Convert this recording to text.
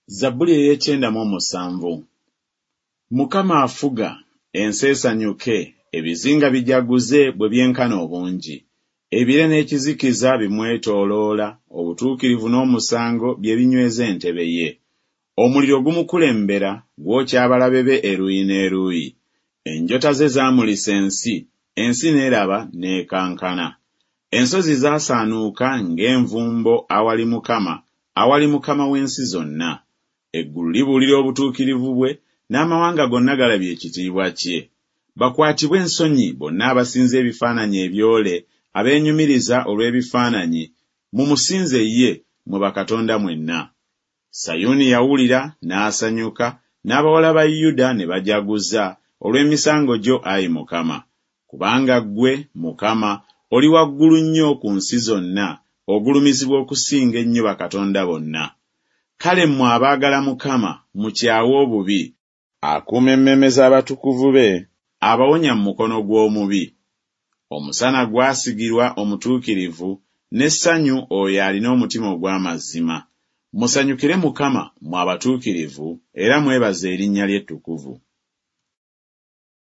Zabbuli ey'ekyenda mu omusanvu. Mukama afuga, ensi esanyuke, ebizinga bijaguze bwe byenkana obungi. Ebire n'ekizikiza bimwetooloola, obutuukirivu n'omusango bye binyweza entebe ye. Omuliro gumukulembera, gwokya abalabe be eruuyi n'eruuyi. Enjota ze zaamulisa ensi, ensi n'eraba n'ekankana. Ensozi zaasaanuuka ng'envumbo awali Mukama, awali Mukama w'ensi zonna. Eggulu libuulira obutuukirivu bwe, n'amawanga gonna galabye ekitiibwa kye. Bakwatibwe ensonyi bonna abasinza ebifaananyi ebyole, abeenyumiriza olw'ebifaananyi, mumusinze ye, mmwe bakatonda mwenna. Sayuuni yawulira, n'asanyuka, n'abawala ba Yuda ne bajaguza olw'emisango gyo, ayi Mukama. Kubanga ggwe, Mukama, oli waggulu nnyo ku nsi zonna, ogulumizibwa okusinga ennyo bakatonda bonna. Kale mmwe abaagala Mukama, mukyawe obubi. Akuuma emmeeme z'abatukuvu be, abawonya mu mukono gw'omubi. Omusana gwasigirwa omutuukirivu, n'essanyu oyo alina omutima ogw'amazima. Musanyukire Mukama, mmwe abatuukirivu, era mwebaze erinnya lye ettukuvu.